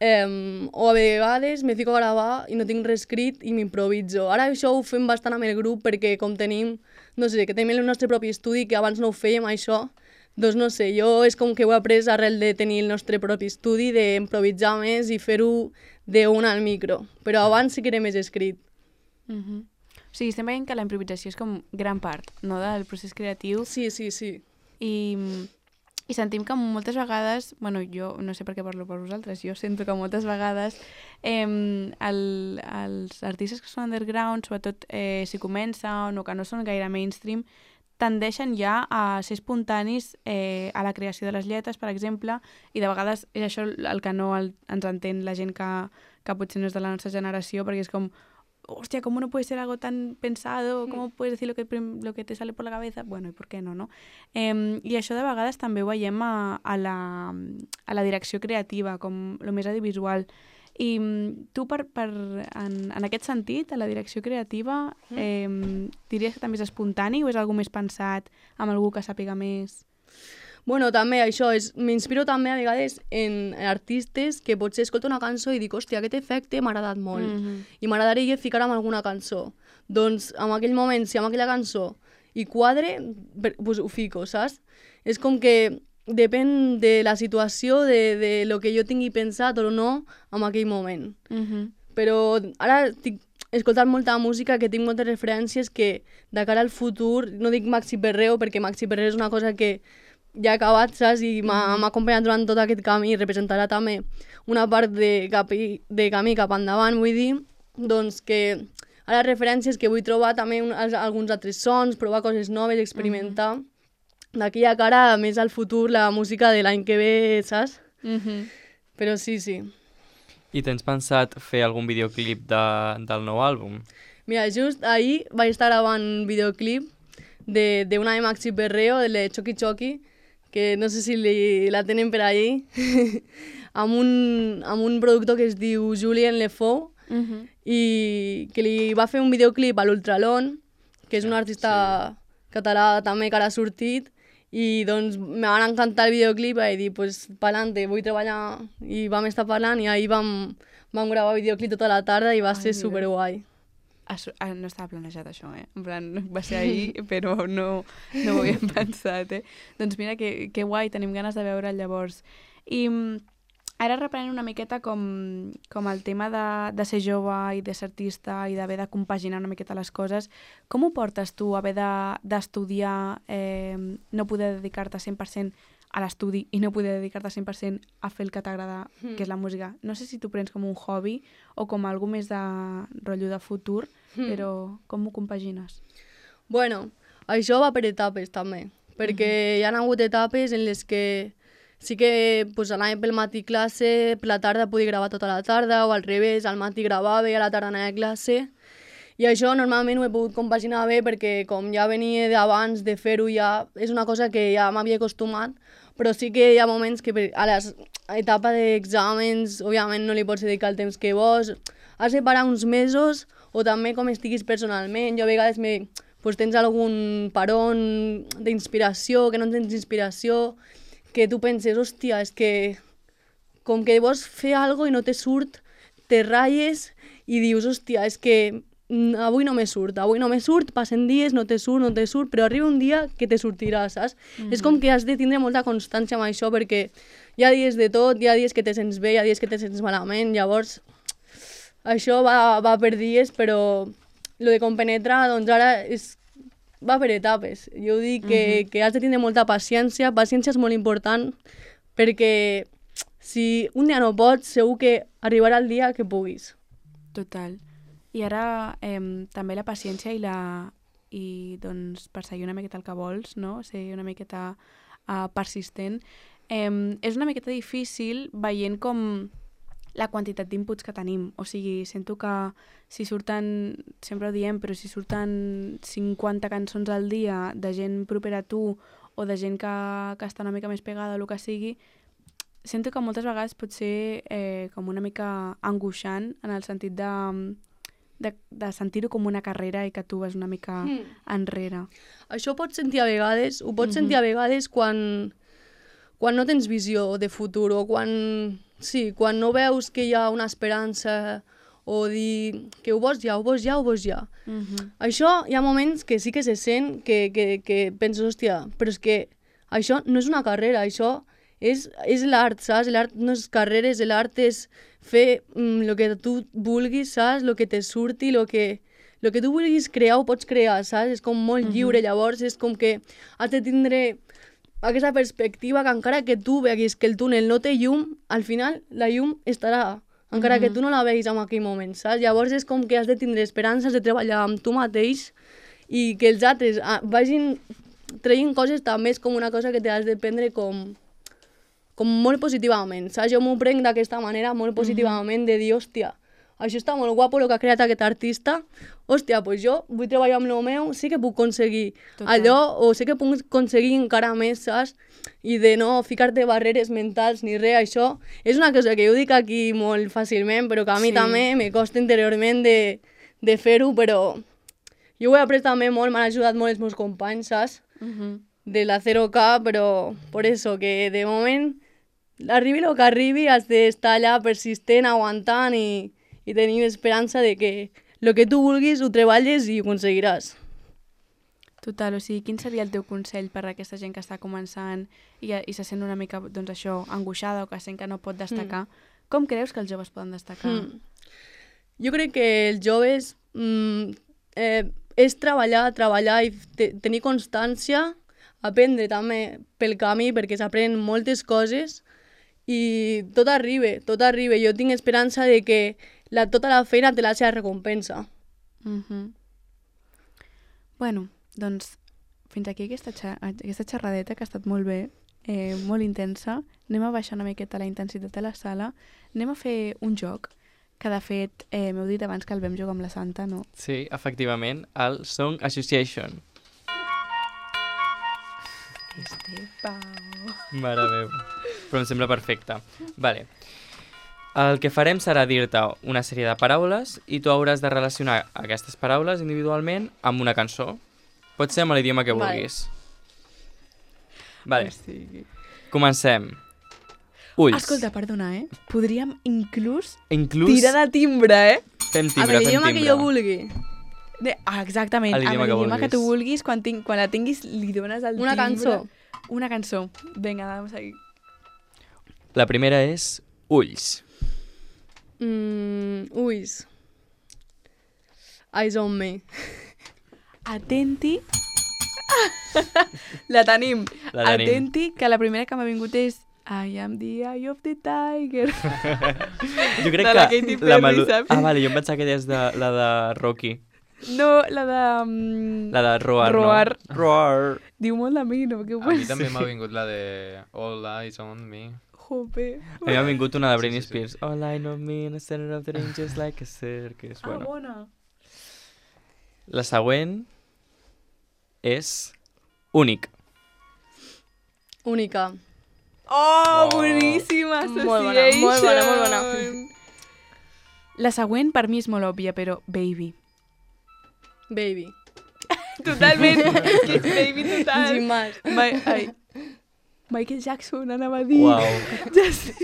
Um, o a vegades me fico a gravar i no tinc res escrit i m'improviso. Ara això ho fem bastant amb el grup perquè com tenim, no sé, que tenim el nostre propi estudi, que abans no ho fèiem això, doncs no sé, jo és com que ho he après arrel de tenir el nostre propi estudi, d'improvisar més i fer-ho d'un al micro. Però abans sí que era més escrit. Mhm. O sigui, estem veient que la improvisació és com gran part, no?, del procés creatiu. Sí, sí, sí. I, i sentim que moltes vegades, bueno, jo no sé per què parlo per vosaltres, jo sento que moltes vegades eh, el, els artistes que són underground, sobretot eh, si comencen o que no són gaire mainstream, tendeixen ja a ser espontanis eh, a la creació de les lletres, per exemple, i de vegades és això el que no el, ens entén la gent que, que potser no és de la nostra generació, perquè és com hostia, ¿cómo no puede ser algo tan pensado? ¿Cómo puedes decir lo que, lo que te sale por la cabeza? Bueno, i per què no, no? Eh, I això de vegades també ho veiem a, a, la, a la direcció creativa, com el més audiovisual. I tu, per, per, en, en aquest sentit, a la direcció creativa, eh, diries que també és espontani o és algo més pensat amb algú que sàpiga més? Bueno, també això, és, m'inspiro també a vegades en artistes que potser escolto una cançó i dic, hòstia, aquest efecte m'ha agradat molt Mm-hmm. i m'agradaria ficar amb alguna cançó. Doncs en aquell moment, si amb aquella cançó hi quadre, per- pues ho fico, saps? És com que depèn de la situació, de, de lo que jo tingui pensat o no en aquell moment. Mm-hmm. Però ara estic escoltant molta música que tinc moltes referències que de cara al futur, no dic Maxi Perreo perquè Maxi Perreo és una cosa que ja ha acabat, saps? I m'ha m'ha acompanyat durant tot aquest camí i representarà també una part de, capi, de camí cap endavant, vull dir, doncs que ara referències que vull trobar també un, alguns altres sons, provar coses noves, experimentar. D'aquí a cara, més al futur, la música de l'any que ve, saps? Mm-hmm. Però sí, sí. I tens pensat fer algun videoclip de, del nou àlbum? Mira, just ahir vaig estar gravant un videoclip de, de una de Maxi Perreo, de la Choki Choki, que no sé si li, la tenen per ahí, amb, un, amb un productor que es diu Julien Lefou, Mm-hmm. i que li va fer un videoclip a l'Ultralon, que és un artista sí. català també que ara ha sortit, i doncs me van encantar el videoclip i vaig dir, pues, pa'lante, vull treballar, i vam estar parlant i ahir vam, vam gravar videoclip tota la tarda i va Ai, ser mira. superguai. Ah, su- ah, no estava planejat això, eh? En plan, va ser ahir, però no, no ho havíem pensat, eh? Doncs mira, que, que guai, tenim ganes de veure'l llavors. I mm, ara reprenent una miqueta com, com el tema de, de ser jove i de ser artista i d'haver de compaginar una miqueta les coses, com ho portes tu, haver de- d'estudiar, eh, no poder dedicar-te cent per cent a l'estudi i no poder dedicar-te cent per cent a fer el que t'agrada, Mm. que és la música? No sé si tu prens com un hobby o com algo més de rotllo de futur, Mm. però com ho compagines? Bueno, això va per etapes també, perquè hi ha hagut etapes en les que sí que pues, anava pel matí classe, per la tarda podia gravar tota la tarda, o al revés, al matí gravava i a la tarda anava a classe. I això normalment ho he pogut compaginar bé perquè com ja venia d'abans de fer-ho ja és una cosa que ja m'havia acostumat, però sí que hi ha moments que per- a l'etapa d'exàmens òbviament no li pots dedicar el temps que vols, has de parar uns mesos o també com estiguis personalment. Jo a vegades me, pues, tens algun paron d'inspiració, que no tens inspiració, que tu penses, hòstia, és que com que vols fer alguna cosa i no te surt, te ratlles i dius, hòstia, és que mm, avui no me surt, avui no me surt, passen dies, no te surt, no te surt, però arriba un dia que te sortirà, saps? Mm-hmm. És com que has de tindre molta constància amb això, perquè hi ha dies de tot, hi ha dies que te sents bé, hi ha dies que te sents malament, llavors això va, va per dies, però lo de compenetrar, doncs ara és, va per etapes. Jo dic que, Mhm. que has de tindre molta paciència, paciència és molt important, perquè si un dia no pots, segur que arribarà el dia que puguis. Total. I ara eh, també la paciència i la i doncs perseguir una miqueta el que vols, no? Ser una miqueta uh, persistent. Eh, és una miqueta difícil veient com la quantitat d'inputs que tenim. O sigui, sento que si surten, sempre ho diem, però si surten cinquanta cançons al dia de gent propera a tu o de gent que, que està una mica més pegada o el que sigui, sento que moltes vegades pot ser eh, com una mica angoixant en el sentit de, de, de sentir-ho com una carrera i que tu vas una mica Mm. enrere. Això ho pots sentir a vegades, ho pots Mhm. sentir a vegades quan, quan no tens visió de futur o quan, sí, quan no veus que hi ha una esperança o dir que ho vols ja, ho vols ja, ho vols ja. Mhm. Això hi ha moments que sí que se sent, que, que, que penses, hòstia, però és que això no és una carrera, això és, és l'art, saps? L'art no és carreres, l'art és fer el mm, que tu vulguis, saps? El que te surti, el que, lo que tu vulguis crear ho pots crear, saps? És com molt lliure, llavors és com que has de tindre aquesta perspectiva que encara que tu veguis que el túnel no té llum, al final la llum estarà, encara que tu no la veguis en aquell moment, saps? Llavors és com que has de tindre esperances de treballar amb tu mateix i que els altres ah, vagin traient coses també és com una cosa que t'has de prendre com, com molt positivament, saps? Jo m'ho prenc d'aquesta manera, molt positivament, de dir, hòstia, això està molt guapo el que ha creat aquest artista, hòstia, pues jo vull treballar amb el meu, sé que puc aconseguir Total. allò, o sé que puc aconseguir encara més, saps? I de no ficar-te barreres mentals ni res, això és una cosa que jo dic aquí molt fàcilment, però que a mi Sí. també me costa interiorment de, de fer-ho, però jo ho he après també molt, m'han ajudat molt els meus companys, saps? Mhm. De la zero K, però por eso, que de moment, arribi el que arribi, has d'estar allà persistent, aguantant i, i tenir esperança de que el que tu vulguis ho treballes i ho aconseguiràs. Total, o sigui, quin seria el teu consell per a aquesta gent que està començant i, i se sent una mica, doncs això, angoixada o que sent que no pot destacar? Mm. Com creus que els joves poden destacar? Mm. Jo crec que els joves mm, eh, és treballar, treballar i te tenir constància, aprendre també pel camí perquè s'aprenen moltes coses i tot arriba, tot arriba. Jo tinc esperança de que la, tota la feina té la seva recompensa. Mm -hmm. Bueno, doncs fins aquí aquesta, xa aquesta xerradeta que ha estat molt bé, eh, molt intensa. Anem a baixar una miqueta la intensitat de la sala. Anem a fer un joc que de fet eh, m'heu dit abans que el vam jugar amb la Santa, no? Sí, efectivament, el Song Association. Este pau. Mare meva. Però em sembla perfecte. Vale. El que farem serà dir-te una sèrie de paraules i tu hauràs de relacionar aquestes paraules individualment amb una cançó. Pot ser amb l'idioma que Vale. vulguis. Vale, O sigui... comencem. Ulls. Escolta, perdona, eh? Podríem inclús Inclús tirar de timbre, eh? fem Amb timbre, fem l'idioma que timbre. jo vulgui. De, ah, exactament, A amb l'idioma que l'idioma que, vulguis. tu vulguis, quan, ting, quan la tinguis li dones el Una timbre. cançó. Una cançó. Vinga, vamos a seguir. La primera és ulls. Mm, ulls. Eyes on me. Atenti. la tenim. La tenim. Atenti, que la primera que m'ha vingut és I am the eye of the tiger. Jo crec De la que Katy la Perry, melo- saps? Ah, vale, jo em pensava que deies de, la de Rocky. No, la de... Um, La de Roar, Roar. no? Roar. Diu molt de mi, no? Que A mi també m'ha vingut la de All Eyes on Me. Jope. A mi m'ha vingut una de Britney Sí, sí, sí. Spears. All I know me in the center of the ring just like a circus. Ah, Bueno. bona. La següent és únic. Única. Oh, Oh. boníssima Molt bona, molt bona, molt bona. La següent per mi és molt òbvia, però Baby. Baby. Totalment. És que és Baby total. Sin más. Ma ai. Michael Jackson anava a dir. Uau. Ja sé.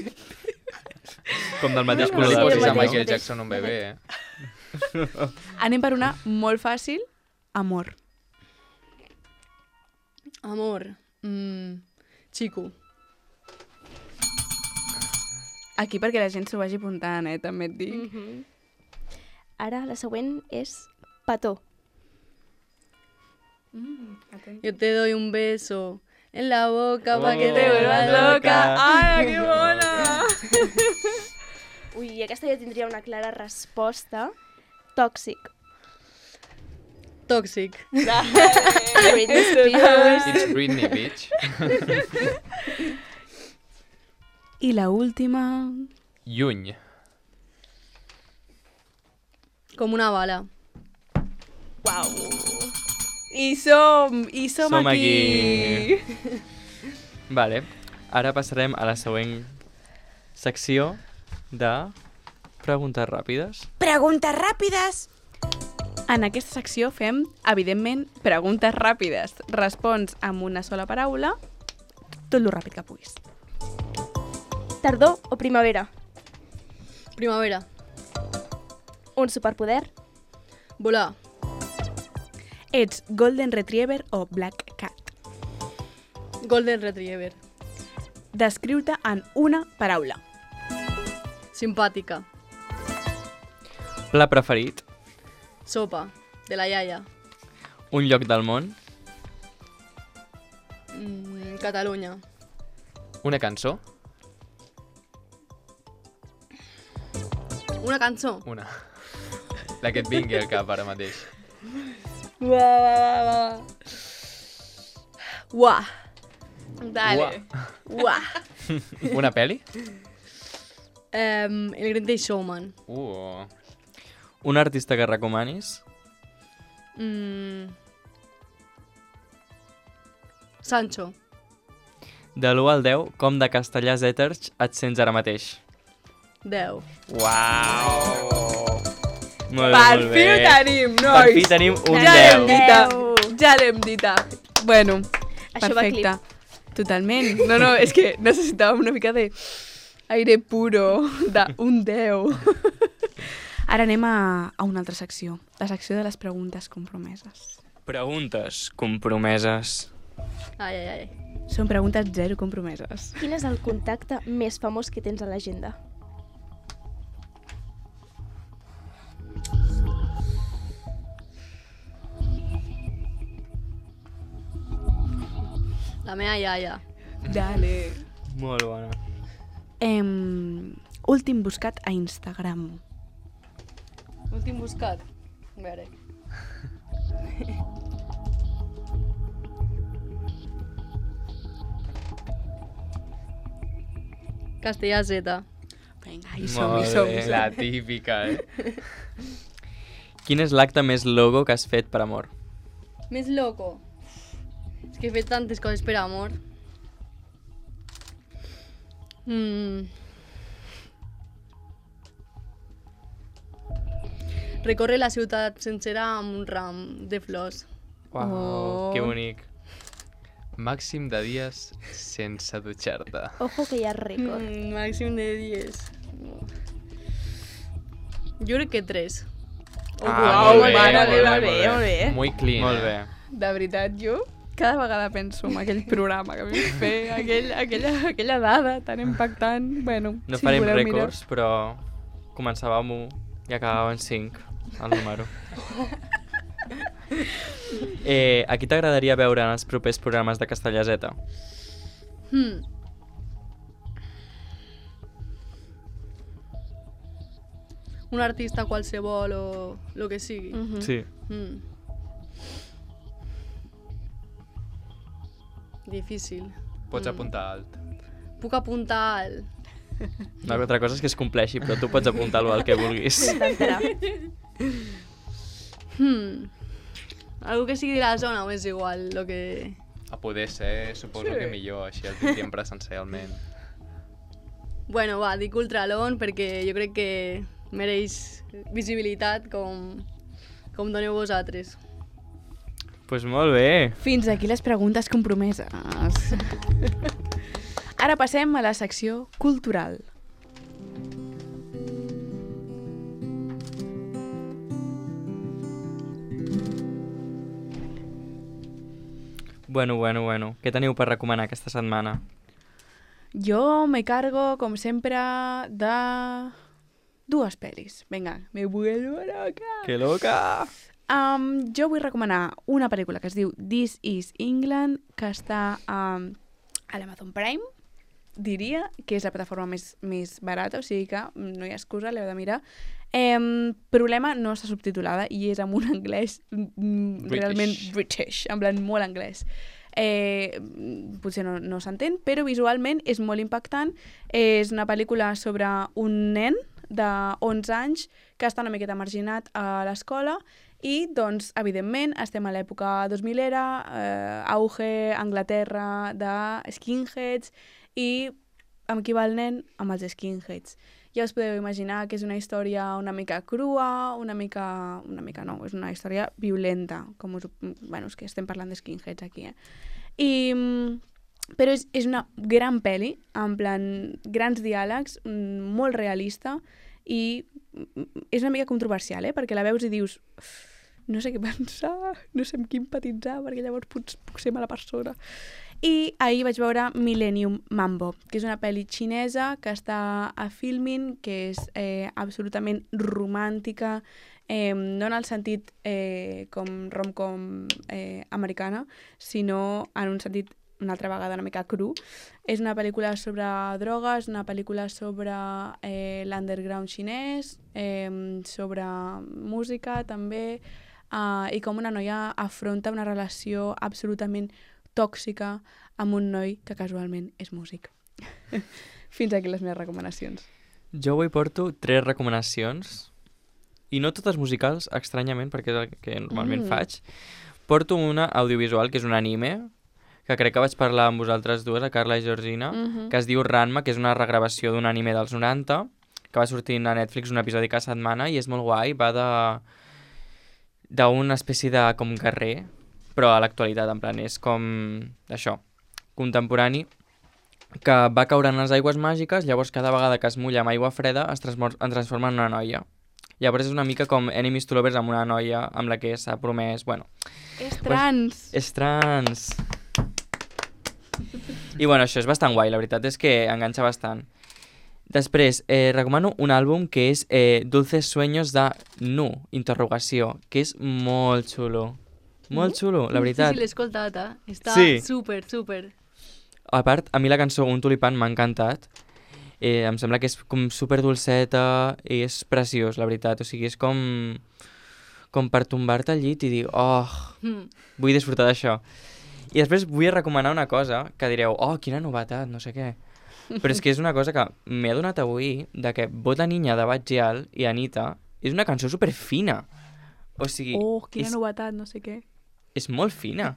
Com del mateix No color li Sí, de el posis a mateix, Michael mateix. Jackson un bebè, eh? Anem per una molt fàcil. Amor. Amor. Mm, chico. Aquí perquè la gent s'ho vagi apuntant, eh? També et dic. Mhm. Ara la següent és petó. Mm, atent. Yo te doy un beso en la boca Oh, pa' que te Te vuelvas vuelvas loca. loca. Ai, que bona! Ui, aquesta ja tindria una clara resposta. Tòxic. Toxic. Britney Spears. It's Britney, bitch. I la última... Lluny. Com una bala. Uau! I som! I som, Som aquí! aquí. Vale, ara passarem a la següent secció de preguntes ràpides. Preguntes ràpides! En aquesta secció fem, evidentment, preguntes ràpides. Respons amb una sola paraula, tot lo ràpid que puguis. Tardor o primavera? Primavera. Un superpoder? Volar. Ets Golden Retriever o Black Cat? Golden Retriever. Descriu-te en una paraula. Simpàtica. Pla preferit, Sopa. De la iaia. un lloc del món, Mm, Catalunya. Una cançó? Una cançó. Una. La que et vingui al cap ara mateix. Uah, uah, uah. Uah. Dale. Uah. Una peli? Um, el Greatest Showman. Uh, Un artista que recomanis? Mm. Sancho. De l'u al deu, com de castellà Zèters et sents ara mateix? deu. Uau! Molt bé, Per molt fi ho bé. tenim, Per nois. fi tenim un Ja l'hem deu. dita. Deu. Ja l'hem dita. Bueno, Això va perfecte. clip. Totalment. No, no, és que necessitàvem una mica de aire puro, d'un deu. Ara anem a, a una altra secció. La secció de les preguntes compromeses. Preguntes compromeses. Ai, ai, ai. Són preguntes zero compromeses. Quin és el contacte més famós que tens a l'agenda? La meva iaia. Dale. Molt bona. Em, últim buscat a Instagram. Últim buscat. A veure. Castellà Z. Vinga, hi som, hi Molt som. bé. hi som. La típica, eh? Quin és l'acte més logo que has fet per amor? Més loco. És que he fet tantes coses per amor. Mm. Recórrer la ciutat sencera amb un ram de flors. Uau, Oh. que bonic. Màxim de dies sense dutxar-te. Ojo que hi ha rècord. Mm, màxim de dies. Jo crec que tres. O Ah, quatre. molt bé, mare molt meva, bé, bé, molt bé. molt bé. Muy clean. Molt eh? bé. De veritat, jo cada vegada penso en aquell programa que vam fer, aquell, aquella, aquella dada tan impactant. Bueno, No si farem voleu mirar. rècords, però començava amb u i acabava en cinc, el número. eh, a qui t'agradaria veure en els propers programes de Castellà Z? Hmm. Un artista qualsevol o el que sigui. Mhm. Sí. Mm. Difícil. Pots Mm. apuntar alt. Puc apuntar al... Una altra cosa és que es compleixi, però tu pots apuntar-lo al que vulguis. S'intentarà. Hmm. Algú que sigui de la zona o és igual, el que... A poder ser, suposo Sí. que millor, així el tindríem presencialment. Bueno, va, dic Ultralon perquè jo crec que mereix visibilitat com, com doneu vosaltres. Doncs pues molt bé. Fins aquí les preguntes compromeses. Ara passem a la secció cultural. Bueno, bueno, bueno. Què teniu per recomanar aquesta setmana? Jo me cargo, com sempre, de dues pel·lis. Vinga, me vuelvo loca. Que loca! Um, jo vull recomanar una pel·lícula que es diu This is England, que està um, a l'Amazon Prime, diria, que és la plataforma més, més barata, o sigui que no hi ha excusa, l'heu de mirar. Um, problema, no està subtitulada i és amb un anglès mm, realment British, en plan molt anglès. Eh, potser no, no s'entén, però visualment és molt impactant. És una pel·lícula sobre un nen de onze anys que està una miqueta marginat a l'escola i, doncs, evidentment, estem a l'època dos milera, eh, auge, Anglaterra, de skinheads, i amb qui va el nen? Amb els skinheads. Ja us podeu imaginar que és una història una mica crua, una mica... una mica no, és una història violenta, com us... Bueno, és que estem parlant de skinheads aquí, eh? I... Però és, és una gran pel·li, en plan, grans diàlegs, molt realista, i és una mica controversial, eh? Perquè la veus i dius... No sé què pensar, no sé amb qui empatitzar, perquè llavors puc, puc ser mala persona. I ahir vaig veure Millennium Mambo, que és una pel·li xinesa que està a Filmin, que és eh, absolutament romàntica, eh, no en el sentit eh, com rom-com eh, americana, sinó en un sentit una altra vegada una mica cru. És una pel·lícula sobre drogues, una pel·lícula sobre eh, l'underground xinès, eh, sobre música també, uh, i com una noia afronta una relació absolutament tòxica amb un noi que casualment és músic. Fins aquí les meves recomanacions. Jo avui porto tres recomanacions i no totes musicals, estranyament, perquè és el que normalment Mm. faig, porto una audiovisual, que és un anime, que crec que vaig parlar amb vosaltres dues, a Carla i Georgina, Mhm. que es diu Ranma, que és una regravació d'un anime dels noranta, que va sortint a Netflix un episodi cada setmana i és molt guai, va de d'una espècie de com guerrer, però a l'actualitat, en plan, és com això, contemporani, que va caure en les aigües màgiques, llavors cada vegada que es mulla amb aigua freda es, transmor- es transforma en una noia. Llavors és una mica com Enemies to Lovers amb una noia amb la que s'ha promès, bueno, És trans. és trans. I bueno, això és bastant guai, la veritat és que enganxa bastant. Després, eh, recomano un àlbum que és eh, Dulces Sueños de Nu, interrogació, que és molt xulo. Molt xulo, la veritat. Sí, sí, l'he escoltat, eh? Està Sí. super, super. A part, a mi la cançó Un tulipan m'ha encantat. Eh, em sembla que és com super dolceta i és preciós, la veritat. O sigui, és com, com per tombar-te al llit i dir, oh, Mm. vull disfrutar d'això. I després vull recomanar una cosa que direu, oh, quina novetat, no sé què. Però és que és una cosa que m'he adonat avui, de que Bota Niña de Batgial i Anita és una cançó super fina. O sigui, Oh, quina és, novetat, no sé què. és molt fina.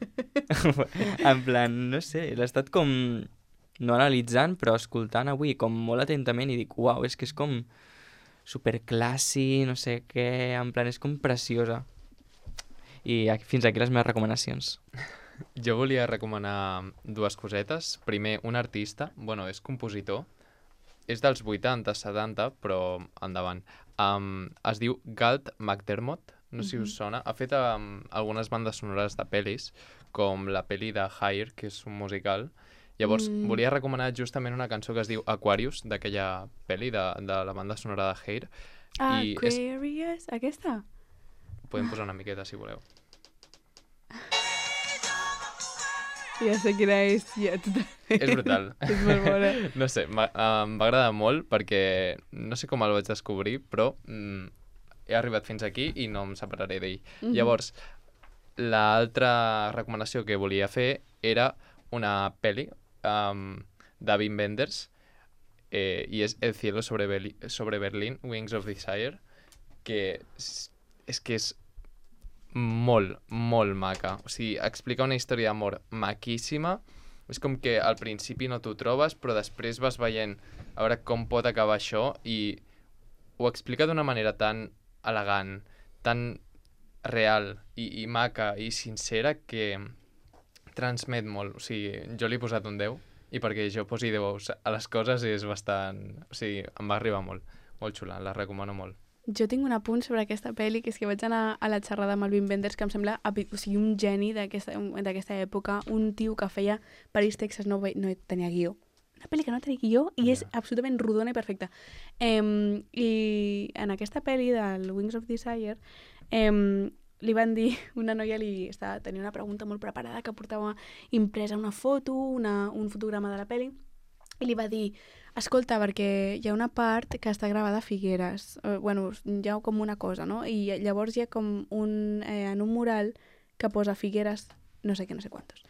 En plan, no sé, l'he estat com no analitzant, però escoltant avui com molt atentament i dic, uau, és que és com superclassi, no sé què, en plan, és com preciosa. I aquí, fins aquí les meves recomanacions. Jo volia recomanar dues cosetes. Primer, un artista, bueno, és compositor, és dels vuitanta, setanta, però endavant. Um, es diu Galt McDermott, no sé si us sona. Ha fet um, algunes bandes sonores de pel·lis, com la pel·li de Higher, que és un musical. Llavors, Mm. volia recomanar justament una cançó que es diu Aquarius, d'aquella pel·li de, de la banda sonora de Hair. I és- Aquarius, aquesta? Podem posar una miqueta, si voleu. Ja sé quina és, ja, totalment. És brutal. És molt bona. No sé, m'ha- em va agradar molt perquè no sé com el vaig descobrir, però mm, he arribat fins aquí i no em separaré d'ell. Mhm. Llavors, l'altra recomanació que volia fer era una pel·li um, de Wim Wenders eh, i és El cielo sobre, Beli sobre Berlín, Wings of Desire, que és, és que és molt, molt maca. O sigui, explica una història d'amor maquíssima. És com que al principi no t'ho trobes, però després vas veient a veure com pot acabar això i ho explica d'una manera tan elegant, tan real i, i maca i sincera que transmet molt. O sigui, jo li he posat un deu i perquè jo posi deu a les coses és bastant... O sigui, em va arribar molt. Molt xula, la recomano molt. Jo tinc un apunt sobre aquesta pel·li, que és que vaig anar a la xerrada amb el Wim Wenders, que em sembla epi- o sigui, un geni d'aquesta d'aquesta època, un tio que feia París, Texas, no, ve- no tenia guió. Una pel·li que no tenia guió i és absolutament rodona i perfecta. Em, I en aquesta pel·li del Wings of Desire em, li van dir, una noia li estava, tenia una pregunta molt preparada que portava impresa una foto, una, un fotograma de la pel·li, i li va dir, escolta, perquè hi ha una part que està gravada a Figueres, eh, bueno, hi ha com una cosa, no? I llavors hi ha com un, eh, en un mural que posa Figueres, no sé què, no sé quantos.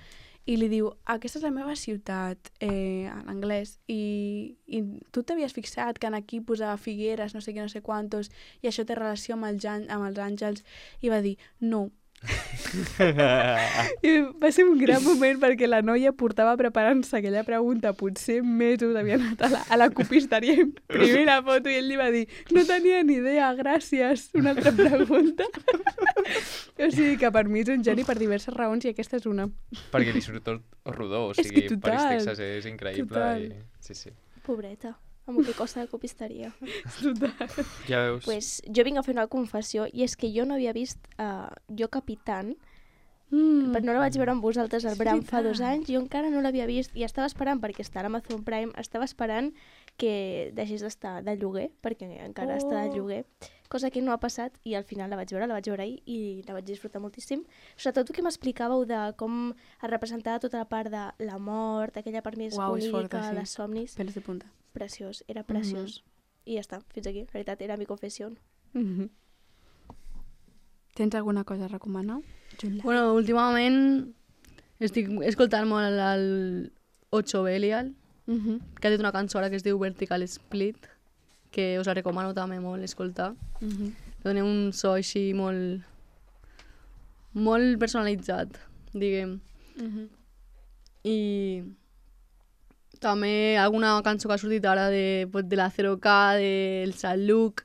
I li diu, aquesta és la meva ciutat, eh, en anglès, i, i tu t'havies fixat que en aquí posava Figueres, no sé què, no sé quantos, i això té relació amb, el, jan- amb els àngels, i va dir, no. I va ser un gran moment perquè la noia portava preparant-se aquella pregunta potser mesos, havia anat a la, a la copisteria a imprimir la foto i ell li va dir no tenia ni idea, gràcies, una altra pregunta. O sigui que per mi és un geni per diverses raons i aquesta és una. Perquè li surt tot rodó, o És sigui, que total, París, Texas és increïble. total. I... Sí, sí. Pobreta, amb el que costa de copisteria. Total. Ja veus. Pues jo vinc a fer una confessió i és que jo no havia vist uh, Jo Capitán, Mm. però no la vaig veure amb vosaltres al Bram fa dos veritat. anys, jo encara no l'havia vist i estava esperant, perquè està a Amazon Prime, estava esperant que deixés d'estar de lloguer, perquè encara oh. està de lloguer, cosa que no ha passat i al final la vaig veure, la vaig veure ahir i la vaig disfrutar moltíssim. Sobretot el que m'explicàveu de com es representava tota la part de la mort, aquella part més Uau, és onírica, forta, sí. les somnis, Pelos de punta. preciós, era preciós. I ja està, fins aquí, la veritat, era mi confessió. Mm-hmm. Tens alguna cosa a recomanar? Júlia? Bueno, últimament estic escoltant molt el, el Ocho Belial, Mm-hmm. que ha dit una cançó ara que es diu Vertical Split, que us la recomano també molt escoltar. Mm-hmm. dona un so així molt, molt personalitzat, diguem. Mhm. I també alguna cançó que ha sortit ara de, pues, de la zero K, del Saint-Luc,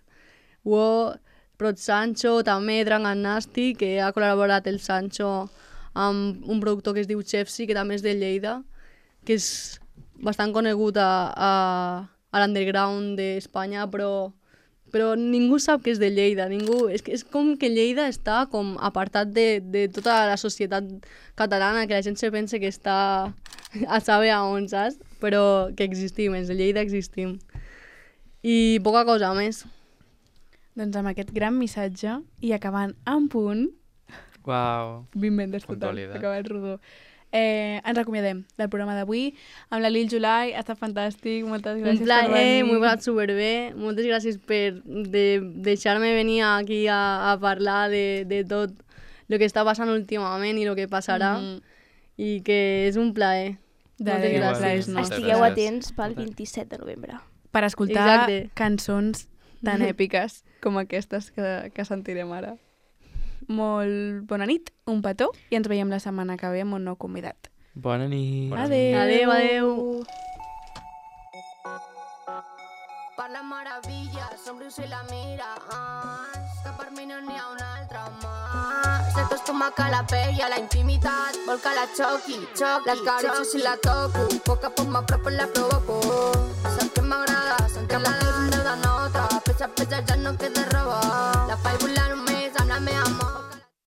Wo, Prot Sancho, també Drang Nasty, que ha col·laborat el Sancho amb un productor que es diu Chefsy, que també és de Lleida, que és bastant conegut a, a, a l'underground d'Espanya, però, però ningú sap que és de Lleida. Ningú, és, que és com que Lleida està com apartat de, de tota la societat catalana, que la gent se pensa que està a saber a on, saps? Però que existim, els de Lleida existim. I poca cosa més. Doncs amb aquest gran missatge i acabant en punt, Uau. vint ventes total, Puntualitat. acabat rodó. Eh, ens acomiadem del programa d'avui amb la Lil July, ha estat fantàstic, moltes gràcies Un plaer, per venir. m'ho he passat superbé. Moltes gràcies per de, deixar-me venir aquí a, a parlar de, de tot el que està passant últimament i el que passarà. Mhm. I que és un plaer. De Moltes res, gràcies. plaer és Moltes nostre. Estigueu gràcies. atents pel vint-i-set de novembre. Per escoltar Exacte. cançons tan èpiques com aquestes que, que sentirem ara. Molt bona nit, un petó, i ens veiem la setmana que ve amb un nou convidat. Bona nit. Bona Adéu. Adéu, adéu. Parla meravelles, somrius i la mira, que per mi no n'hi ha una altra mà. S'acostuma que la pell a la intimitat, vol que la xoqui, xoqui, l'escaritxo si la toco, poc a poc m'apropo i la provoco.